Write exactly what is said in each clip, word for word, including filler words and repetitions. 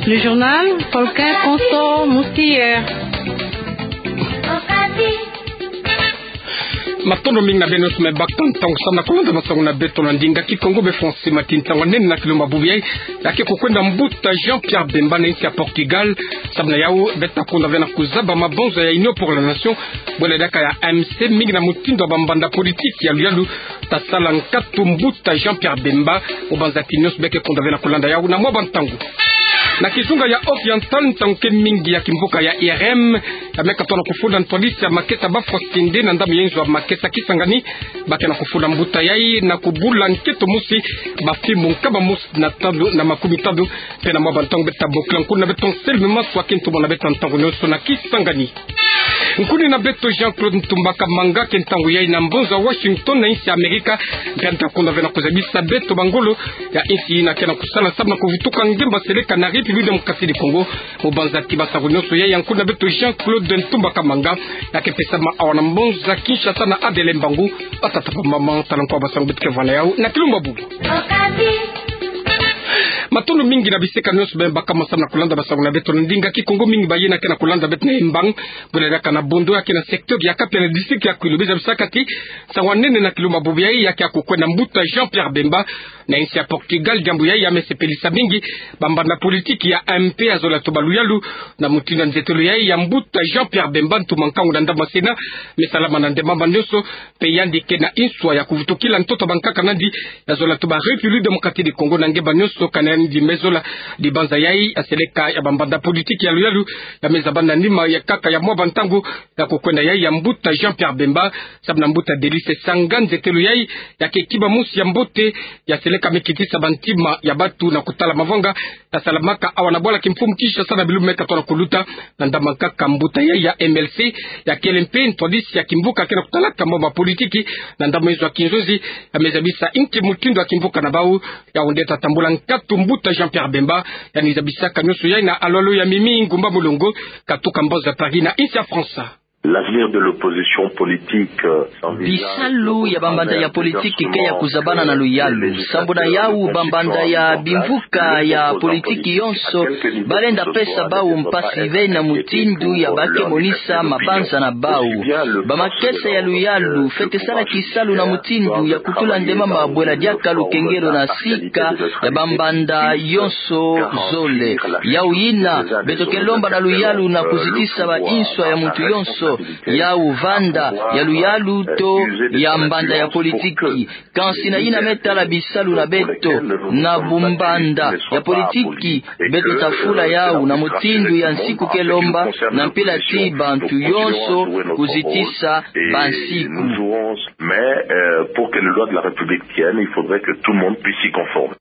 Le journal, Tolkien Konso Moustier. Matondo mingi na beno nyonso me baka ntangu samu na kolanda masaku na beto na ndinga Kikongo be Français. Matinta ntangu nene na kilumbu bubu yayi, ya ke kukwenda mbuta Jean-Pierre Bemba na insi ya Portugal. Samu na yawu beto ta konda ve na kuzaba mabonza ya Union pour la Nation, bwela diaka ya M C, mingi na mutindu ya bambanda politiki ya luyalu ta sala nkatu mbuta Jean-Pierre Bemba. Obanza ti nyonso beke konda ve na kolanda yawu na mwa bantangu. Na kizunga ya Oriental, ntangu ke mingi ya kimvuka ya R M ya meka tona kufula ntwadisi ya makesa Bafwa Sende na ndambu ya inzo ya makesa Kisangani. Ba ke na kufula mbuta yayi na kubula nkento mosi, bafimbu nkama mosi na tanu na makumitalu. Mpe na mwa bantangu beto ta bokila nkuni na beto Anselme Maswa ke ntumwa na beto ntangu nyonso na Kisangani. Nkuni na beto Jean-Claude Ntumba Kamanga ke ntangu yayi na mbonza Washington na insi ya Amerika. Mpe yandi ta konda ve na kuzabisa beto bangolo ya insi yina ke na kusala samu na kuvutuka ngemba seleka na République Démocratique du Congo. Obanza ti basangu nyonso yayi ya nkuni na beto Jean-Claude Ntumba Kamanga ya ke pesama awa na mbonza Kinshasa na Adele Mbangu. Batata, bamama, tala nkwa basangu beto ke vwala yawu na kilumbu bubu. Matondo mingi na bisika nyonso beno baka samu na kolanda basangu na beto na ndinga Kikongo, mingi bayina ke na kolanda beto na Embang, bwela diaka na Bondo ya ke na secteur ya Kapia na district ya Kwilu. Beno zabisaka ti nsangu ya nene na kilumbu bubu yayi ya ke ya kukwenda mbuta Jean-Pierre Bemba na insi ya Portugal. Diambu yayi ya me sepelisa mingi bambanda politiki ya M P ya zola toba luyalu na mutindu ya nzetelo yayi ya mbuta Jean-Pierre Bemba, ntu ma nkangu na ndambu ya Sénat me salama na ndemama nyonso. Mpe yandi ke na nswa ya kuvutukila ntoto ya bankaka na yandi ya zola toba République Démocratique du Congo na ngemba nyonso kana yandi me zola. Dibanza yayi ya seleka ya bambanda politiki ya luyalu ya me zaba na nima ya nkaka ya mwa bantangu ya kukwenda yayi ya mbuta Jean-Pierre Bemba samu na mbuta Delice Sanga. Nzetelo yayi ya ke kima mosi ya mbote ya seleka me kitisa bantima ya batu na kutala mavanga ya salamaka awa na bwala kimfumu Kinshasa na bilumbu meka tona kuluta. Na ndambu ya nkaka, mbuta yayi ya M L C ya kele mpe ntwadisi ya kimvuka ke na kutalaka mambu ya politiki na ndambu ya inzo ya kinzonzi, ya me zabisa inki mutindu ya kimvuka na bawu. Yawu nde ta tambula nkatu mbuta Jean-Pierre Bemba. Ya ni zabisaka nyonso yayi na Alwalo ya Mimi Ngumba Mulongo, katuka mbonza Paris na insi ya France. L'avenir de l'opposition politique, euh, s'envisage. Bisalu ya bambanda ya politiki ke ya kuzabana na luyalu. Sambu na yawu, bambanda ya bimvuka ya politiki yonso balenda pesa bawu mpasi ve na mutindu ya ba ke monisa mabanza na bawu. Bamakesa ya luyalu fwete sala kisalu na mutindu ya kutula ndemama bwela diaka lukengelo na sika ya bambanda yonso zole. Yawu yina beto ke lomba na luyalu na kuzitisa ba nswa ya muntu yonso. Yawu vanda ya luyalu to ya mbanda ya politiki. Kansi na yina me tala bisalu na beto na bumbanda ya politiki, beto ta fula yawu na mutindu ya nsiku ke lomba, na mpila ti bantu yonso kuzitisa bansiku. Mais, euh, pour que les lois de la République tiennent, il faudrait que tout le monde puisse s'y conformer.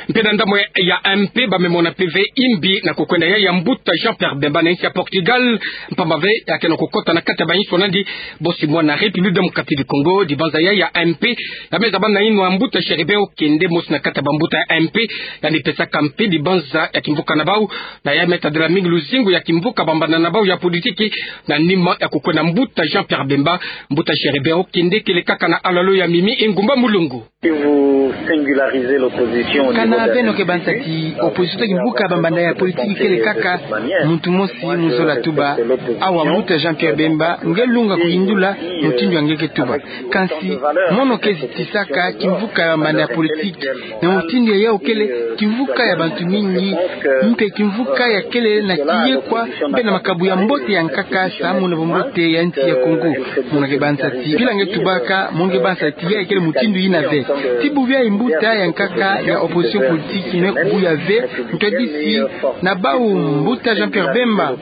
Mpe na ndambu ya M P, ba me mona mpe ve imbi na kukwenda yayi ya mbuta Jean-Pierre Bemba na insi ya Portugal, mpamba ve ya ke na kukota na kati ya bansoni na yandi bosi mwana République Démocratique du Congo. Dibanza yayi ya M P ya me zaba na yinwa mbuta Chérubin Okende, mosi na kati ya bambuta ya M P, yandi pesaka mpe dibanza ya kimvuka na bawu, na ya me tadila mingi luzingu ya kimvuka bambanda na bawu ya politiki na nima ya kukwenda mbuta Jean-Pierre Bemba. Mbuta Chérubin Okende kele kaka na Alwalo ya Mimi Ngumba Mulongo. Si vous singularisez l'opposition au niveau des institutions, kana beno ke banza ti opposition to kimvuka bambanda ya politiki kele kaka muntu mosi mu zola tuba, awa mbuta Jean-Pierre Bemba nge lunga kuyindula mutindu ya nge ke tuba. Kansi mono ke zitisaka kimvuka ya bambanda ya politiki na mutindu ya yawu kele kimvuka ya bantu mingi, mpe kimvuka ya kele na kiyekwa mpe na makabu ya mbote ya nkaka samu na bumbote ya nsi ya Congo. Mono ke banza ti mpila nge tubaka, mono ke banza ti yayi kele mutindu yina ve. Ti bubu yayi mbuta ya nkaka ya opposition politique me kubuya ve ntwadisi na bawu mbuta Jean-Pierre Bemba.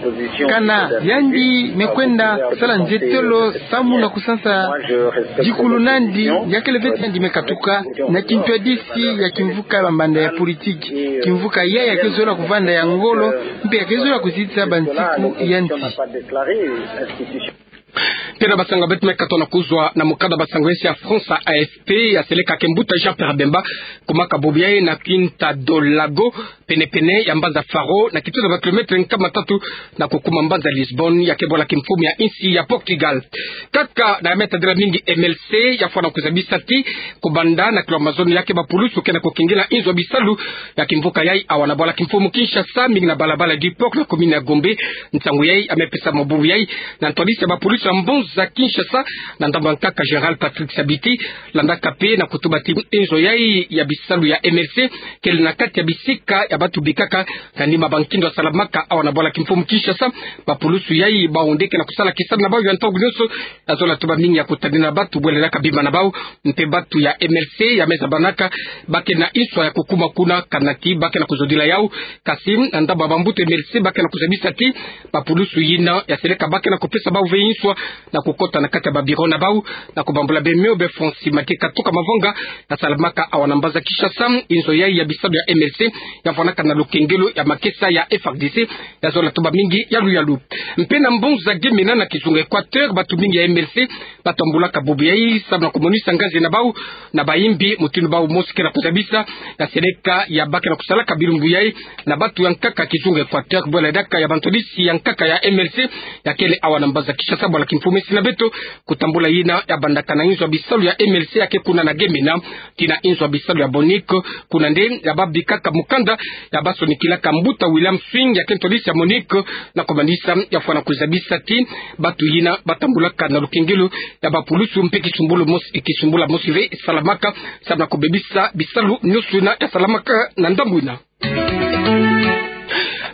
Kana yandi me kwenda sala nzetelo samu na kusansa dikulu na yandi, ya kele ve ti yandi me katuka na kintwadisi ya kimvuka ya bambanda ya politique. Kimvuka yayi ya ke zola kuvanda ya ngolo, mpe ya ke zola kuzitisa bansiku ya nsi. Tena basango beto me katona kuzwa na mukanda basango yesi ya France A F P, ya seleka ke mbuta Jean-Pierre Bemba, kumaka bubu yayi na Quinta do Lago, penepene ya mbanza Faro, na kituza ba kilometre nkama tatu na kukuma mbanza Lisbonne, ya ke bwala kimfumu ya insi ya Portugal. Kaka na ya me tadila mingi M L C, ya fwana kuzabisa ti, kubanda na kilomètre mazono ya ke bapulusu ke na kukengela inzo ya bisalu ya kimvuka yayi awa na bwala kimfumu Kinshasa, mingi na balabala du Port na commune ya Gombe. Nsangu yayi ya me pesa mabubu yayi na ntwadisi ya bapulusu ya mbuta Kinshasa, na ndambu ya nkaka général Patrick Sabiti, landaka mpe na kutuba ti inzo yayi ya bisalu ya M L C kele na kati ya bisika ya batu bikaka, na nima ba nkindo ya salamaka awa na bwala kimfumu Kinshasa. Bapulusu yayi bawu nde ke na kusala kisalu na bawu ya ntangu nyonso, ya zola tuba mingi ya kutadina batu bwele na kabima na bawu, mpe batu ya M L C ya me zabanaka ba ke na inswa ya kukuma kuna, kana ti ba ke na kuzodila yawu. Kasi na ndambu ya bambuta M L C ba ke na kuzabisa ti, bapulusu yina ya seleka ba ke na kupesa bawu ve inswa na kukota na kati ya ba bureau na bawu, na kubambula beno, be Francis Mathieu Katuka Mavanga, ya salamaka awa na mbanza Kinshasa. Inzo yayi ya bisalu ya M L C ya vwanaka na lukengelo ya makesa ya F R D C, ya zola tuba mingi yalu yalu. Mpe na mbanza Gemena na kizunga Équateur, batu mingi ya M L C ba tambulaka bubu yayi samu na kumonisa ngazi na bawu na bayimbi, mutindu bawu mosi ke na kuzabisa ya seleka ya ba ke na kusalaka bilumbu yayi na batu ya nkaka kizunga Équateur, bwele diaka ya bantwadisi ya nkaka ya M L C ya kele awa na mbanza Kinshasa. Bwala kimfumu esi na beto, kutambula yina ya bandaka na inzo ya bisalu ya M L C ya ke kuna na Gemena, tii na inzo ya bisalu ya Bonic, kuna nde ya babikaka mukanda ya basonikilaka mbuta William Swing ya ke ntwadisi ya Monic, na kumanisa ya fwana kuzabisa ti, batu yina ba tambulaka na lukengelo ya bapulusu mpe kisumbulu mosi, kisumbula mosi ve salamaka samu na kubebisa bisalu nyonso yina ya salamaka na ndambu yina.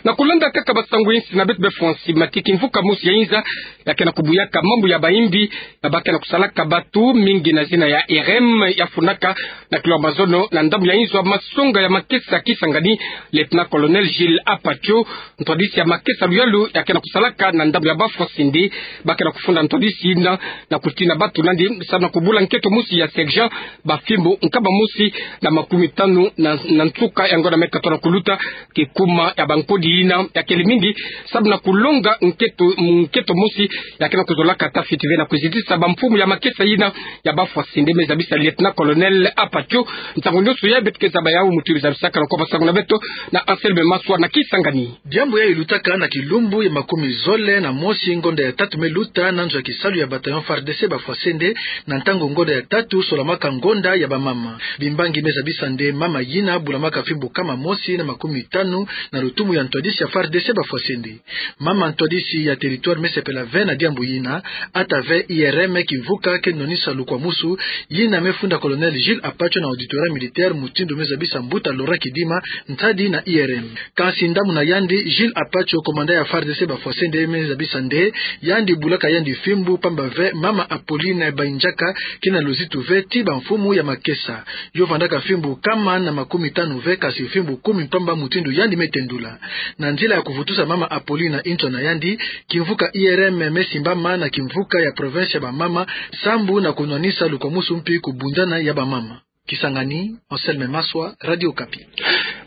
Na kulanda kaka basango yinsi na beto, be Francis Mathieu, kimvuka mosi ya inza ya ke na kubuyaka mambu ya bayimbi ya ba ke na kusalaka batu mingi na zina ya I R M, ya fundaka na kilomètre mazono na ndambu ya inzo ya masonga ya makesa Kisangani, lieutenant-colonel Gilles Apacho, ntwadisi ya makesa luyalu ya ke na kusalaka na ndambu ya ba Fwasende. Ba ke na kufunda ntwadisi yina na kutina batu nandi samu na kubula nkento mosi ya sergent, bafimbu nkama mosi na makumi tanu na, na nsuka ya ngonda me katona kuluta, kikuma ya bankodi yina ya kele mingi samu na kulonga nkento, nkento mosi ya ke na kuzolaka ata fiti ve na kuzitisa bamfumu ya makesa yina ya ba Fwasende, me zabisa lieutenant-colonel Apacho. Nsangu nyonso yayi beto ke zaba yawu mutindu zabisaka na kwa basango na beto na Anselme Maswa na Kisangani. Diambu yayi lutaka na kilumbu ya makumi zole na mosi ngonda ya tatu me luta na nzo ya kisalu ya bataillon F A R D C ba Fwasende, na ntangu ngonda ya tatu solamaka ngonda ya bamama. Bimbangi me zabisa nde mama yina bulamaka fimbu nkama mosi na makumi tanu na lutumu ya ntwadisi ya F A R D C ba Fwasende. Mama ntwadisi ya territoire me sepela ve na diambu yina, ata ve I R M, kimvuka ke nwanisa lukwamusu, yina me funda colonel Gilles Apacho na auditorat militaire, mutindu me zabisa mbuta Laurent Kidima, ntadi na I R M. Kansi ndamuna yandi, Gilles Apacho, commandant ya F A R D C ba Fwasende, me zabisa nde yandi bulaka yandi fimbu pamba ve mama Apolline Bainjaka ke na luzitu ve tii bamfumu ya makesa. Yo vandaka fimbu nkama na makumi tanu ve, kansi fimbu kumi mpamba mutindu yandi me tendula. Na nzila ya kuvutusa mama Apolline na inswa na yandi, kimvuka I R M me simbama na kimvuka ya province ya bamama, sambu na kunwanisa lukwamusu mpi kubundana ya bamama. Kisangani, Anselme Maswa, Radio Okapi.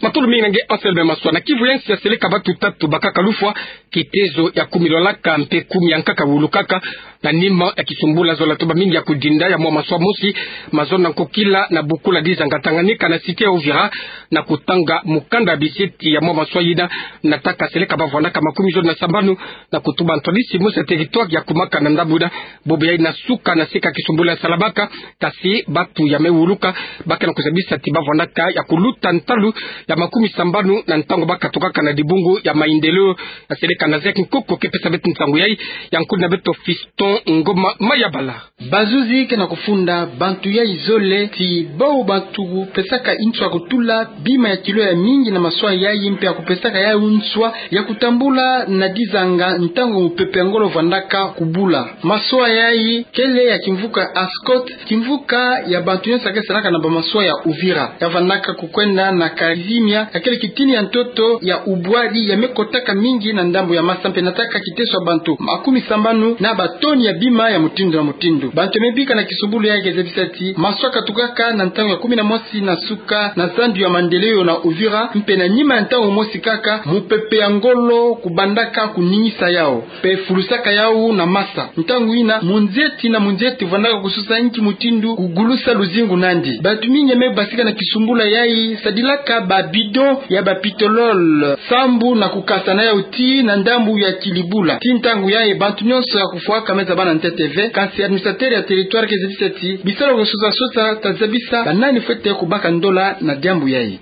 Matondo mingi na nge Anselme Maswa. Na Kivu ya nsi ya seleka batu tatu bakaka lufwa, kitezo ya kumi lwalaka mpe kumi ya nkaka wulukaka, na nima ya kisumbula zola tuba mingi ya kudinda ya mwa maswa mosi, mazono na nkokila na bukula dizanga Tanganyika na cité ya Uvira, na kutanga mukanda biseti ya mwa maswa yina, na taka seleka bavwandaka makumi zole na sambanu, na kutuba ntwadisi mosi ya territoire ya kumaka na ndambu yina. Bobo yayi na suka na seka kisumbula ya salamaka, kasi batu ya me wuluka ba ke na kuzabisa ti bavwandaka ya kuluta ntalu ya makumi sambanu na ntangu bakatukaka na dibungu ya Maendeleo, ya seleka na Zek Nkoko ke pesa beto nsangu yayi, ya nkudi na beto Fiston Ngoma Mayabala. Bazuzi ke na kufunda bantu yayi zole ti bawu bantu kupesaka inswa kutula bima ya kilo ya mingi na maswa yayi mpe ya kupesaka yawu inswa ya kutambula na dizanga ntangu mupepe ya ngolo vwandaka kubula. Maswa yayi kele ya kimvuka Ascot, kimvuka ya bantu nyonso ya ke salaka na bamaswa ya Uvira. Ya vandaka kukwenda na karizi kimia, ya kele kitini ya ntoto ya ubwadi ya me kotaka mingi na ndambu ya masa mpe nataka kiteso ya bantu makumi sambanu na batoni ya bima ya mutindu na mutindu. Bantu ya me bika na kisumbulu yayi ke zabisa ti maso ya katukaka na ntangu ya kumi na mosi na suka na zandu ya Maendeleo na Uvira, mpe na nima ya ntangu mosi kaka, mupepe ya ngolo kubandaka kuningisa yau mpe fulusaka yau na masa. Ntangu yina, munzeti na munzeti vandaka kusosa nki mutindu kugulusa luzingu nandi. Bantu mingi ya me basika na kisumbulu yayi sadilaka ba bidon ya ba pitolol sambu na kukasa na yau tii na ndambu ya Kilibula. Tii ntangu yayi bantu nyonso ya kufwaka me zabana ntete ve, kansi administrateur ya territoire ke zabisa ti bisalu ya kusosa-sosa ta zabisa banani fwete kubaka ndola na diambu yayi.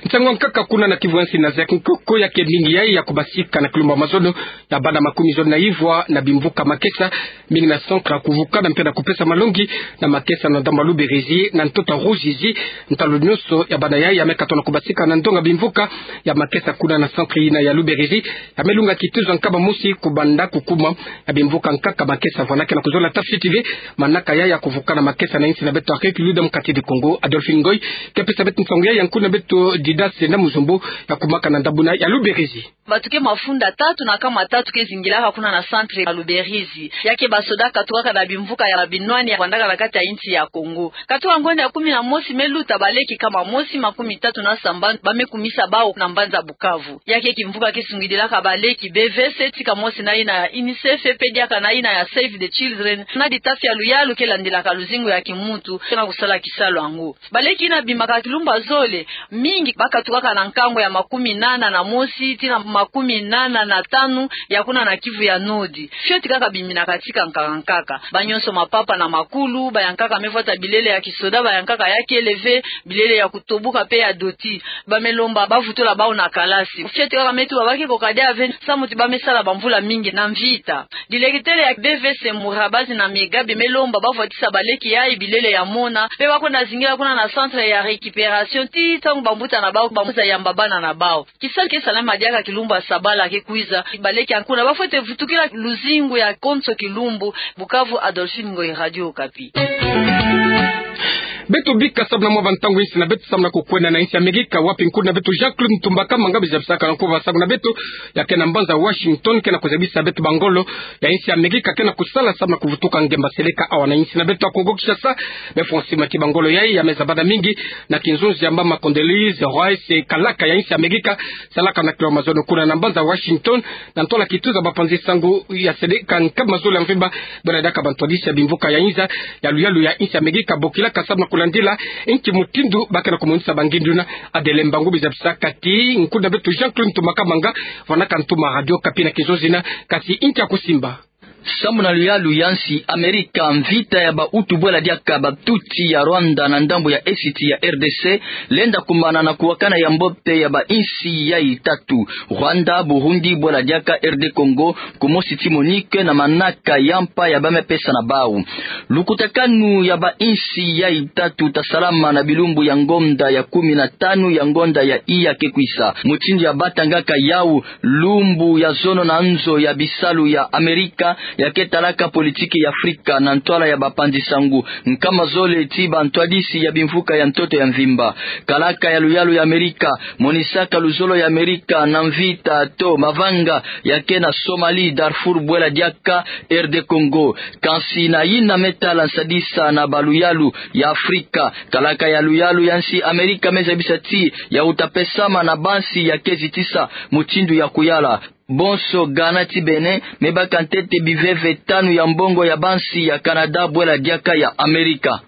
Nsangu ya nkaka kuna na Kivu ya nsi na zeki nkoko ya ke mingi yayi ya kubasika na kilumbu ya mazono ya bana makumi zole na ivwa na bimvuka makesa mingi na centre ya kuvukana mpe na kupesa malongi na makesa na ndambu ya Luberizi na ntoto ya Ruzizi. Ntalu nyonso ya bana yayi ya me katona kubasika na ndonga bimvuka ya makesa kuna na centre yina ya Luberizi. Ya me lunga kituza nkama mosi kubanda kukuma ya bimvuka nkaka makesa. Vwana ke na kuzola Tafiti T V, manaka yayi ya kuvukana makesa na insi na beto ya République Démocratique du Congo, Adolphine Ngoy ke pesa beto nsangu yayi ya nkuna beto Didace na Muzombo ya kumaka na ndambu yina ya Luberizi. Bato ke mafunda tatu na nkama tatu ke zingilaka kuna na centre ya Luberizi. Ya ke basoda katukaka na bimvuka ya binwani ya vandaka na kati ya insi ya Congo. Katuka ngonda ya kumi na mosi me luta, baleki nkama mosi makumi tatu na sambanu ba me kumisa bau na mbanza Bukavu. Ya ke kimvuka ke sungidilaka baleki B V C, tika mosi na yina ya UNICEF, pe diaka na yina ya Save the Children, na ditafi ya luyalu ke landilaka luzingu ya kimuntu, ke na kusala kisalu yango. Baleki yina bimaka kilumbu ya zole, mingi ba katukaka na nkangu ya makumi nana na mosi tii na makumi nana na tanu ya kuna na Kivu ya Nord. Fioti kaka biminaka tika nkaka nkaka. Ba nyonso, mapapa na makulu, ba ya nkaka me vwata bilele ya kisoda, ba ya nkaka ya kele ve, bilele ya kutobuka pe ya doti. Ba me lomba ba vutula bau na kalasi. Fioti kaka me tuba ba ke koka dia ve, samu ti ba me sala bamvula mingi na mvita. Dilekitele ya B V C Murabazi na Megabe me lomba ba vwatisa baleki yayi bilele ya mona, pe ba kwenda zingila kuna na centre ya récupération tii ntangu bambuta na bau ba kwiza yamba bana na bau. Kisalu ke salama diaka kilumbu ya sabala ke kwiza. Baleki ya nkuna ba fwete vutukila luzingu ya konso kilumbu. Bukavu, Adolphine Ngoy, Radio Okapi. Beto bika samu na mwa bantangu insi na beto samu na kukwenda na insi ya Amerika, wapi nkuna beto Jean-Claude Ntumba Kamanga bizabisaka na nkuba samu na beto, ya ke na mbanza Washington, ke na kuzabisa beto bangolo ya insi ya Amerika ke na kusala samu na kuvutuka ngemba seleka awa na insi na beto ya Congo Kinshasa. Be fwa nsi ma ti bangolo yayi ya me zabana mingi na kinzonzi ya mama Condoleezza Rice, kalaka ya insi ya Amerika, salaka na kilomètre mazono kuna na mbanza Washington, na ntwala kituza bapanzi nsangu ya seleka nkama zole ya mvimba, bwela diaka bantwadisi ya bimvuka ya inza ya luyalu ya insi ya Amerika bokilaka samu na kulandila nki mutindu ba ke na kumonisa bangindu na Adele Mbangu bizabisaka ti nkuna beto Jean-Claude Ntumba Kamanga, vwanaka ntuma Radio Okapi na kinzonzi yina, kasi nki ya kusimba. Samu na luyalu ya insi Amerika, mvita ya bautu bwela diaka ba Tutsi ya Rwanda na ndambu ya esiti ya R D C lenda kumbana na kuwakana ya mbote ya bainsi yayi tatu, Rwanda, Burundi, bwela diaka R D Congo, kumosi ti MONUC na manaka ya mpa ya ba me pesa na bau. Lukutakanu ya bainsi yayi tatu ta salama na bilumbu ya ngonda ya kumi na tanu ya ngonda ya iya ke kwisa. Mutindu ya batangaka yau, lumbu ya zono na nzo ya bisalu ya Amerika ya ke talaka politiki ya Afrika na ntwala ya bapanzi nsangu nkama zole ti bantwadisi ya bimvuka ya ntoto ya mvimba. Kalaka ya luyalu ya Amerika monisaka luzolo ya Amerika na mvita to mavanga ya ke na Somalie, Darfour, bwela diaka R D Congo. Kansi na yina me tala nsadisa na baluyalu ya Afrika, kalaka ya luyalu ya insi Amerika me zabisa ti ya uta pesama na bansi ya ke zitisa mutindu ya kuyala. Bonso Ghana ti Bénin me baka ntete biveve tanu ya mbongo ya bansi ya Canada bwela diaka ya Amerika.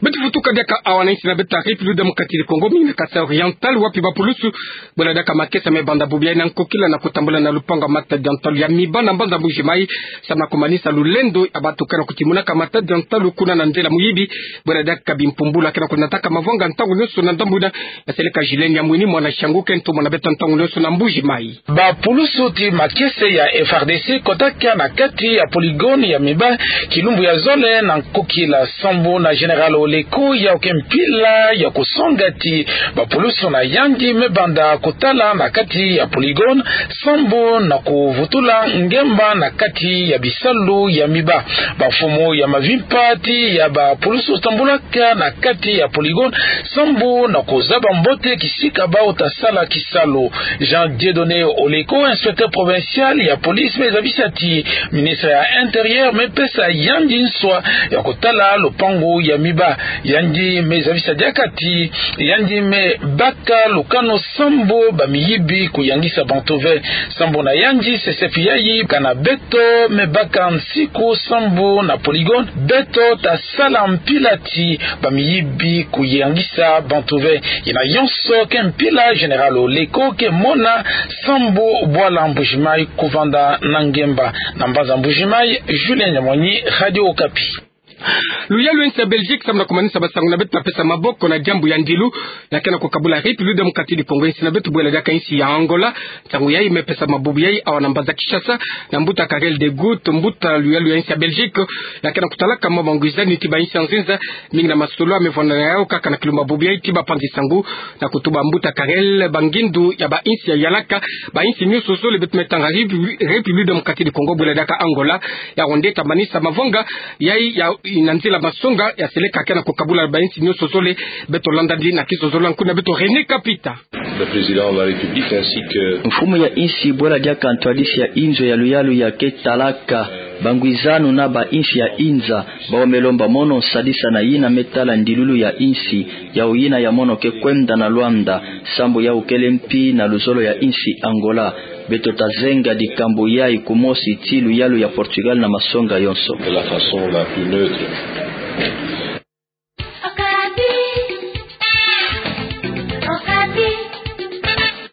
Beto vutuka diaka awa na insi na beto ya République Démocratique du Congo, mingi na Kasaï Oriental, wapi bapulusu bwela diaka makesa me banda bubu yayi na nkokila na kutambula na lupangu ya Matadi ya ntalu ya miba na mbanza Mbuji Mayi, samu na kumanisa lulendo ya bato ke na kutimunaka matadi ya ntalu kuna na nzila muyibi, bwela diaka bimpumbulu ke na kunataka mavanga ntangu nyonso na ndambu yina ya seleka Julien Yamwini, mwana Siangu, ke ntomo na beto ntangu nyonso na Mbuji Mayi. Bapulusu ti makesa ya F A R D C kotaka na kati ya polygone ya miba kilumbu ya zole na nkokila sambu na Général Oleko yau ke mpila ya kusonga ti bapulusu na yandi me banda kutala na kati ya polygone, sambu na kuvutula ngemba na kati ya bisalu ya miba. Bamfumu ya mavimpa ti ya bapulusu tambulaka na kati ya polygone, sambu na kuzaba mbote kisika bau ta sala kisalu. Jean Dieudonné Oleko, inspecteur provincial ya police, me zabisa ti ministre ya Intérieur me pesa yandi nswa ya kutala lupangu ya miba. Yandi me zabisa diaka ti yandi me baka lukanu sambu bamiyibi kuyangisa bantu ve. Sambu na yandi, sesepi yayi kana beto me baka nsiku sambu na polygone, beto ta sala mpila ti bamiyibi kuyangisa bantu ve. Yina yonso ke mpila Général Oleko ke mona sambu bwala Mbujimayi kuvanda na ngemba. Na mbanza Mbujimayi, Julien Nyamwani, Radio Okapi. Luyalu ya insi ya Belgique samu na kumanisa basangu na beto ta pesa maboko na diambu ya ndilu, ya ke na kukabula République Démocratique du Congo, insi na beto bwela diaka insi ya Angola. Nsangu yayi me pesa mabubu yayi awa na mbanza Kinshasa, na mbuta Karel De Gucht, mbuta luyalu ya insi ya Belgique, ya ke na kutalaka mwa bangwizani ti bainsi ya nzenza, mingi na masolo me vwanda na yau kaka na kilu mabubu yayi ti bapanzi sangu, na kutuba mbuta Karel, bangindu ya bainsi ya yalaka, bainsi nionso zole beto me tanga Répu-, République Démocratique du Congo bwela diaka Angola, ya wonde ta manisa mavanga yayi ya, na nzila masonga, ya seleka ke na kukabula bainsi nionso zole. Beto landa ndi na kizozolo ya nkuna beto René Kapita. Le président de la République ainsi que... Mfumu ya insi bwela diaka ntwadisi ya inzo ya luyalu ya ke talaka bangwizanu na bainsi ya inza, bau me lomba mono nsadisa na yina me tala ndilulu ya insi, yau yina ya mono ke kwenda na Luanda, sambu yau kele mpi na luzolo ya insi Angola. Beto ta zenga dikambu yayi kumosi ti luyalu ya Portugal na masonga yonso. De la façon la plus neutre.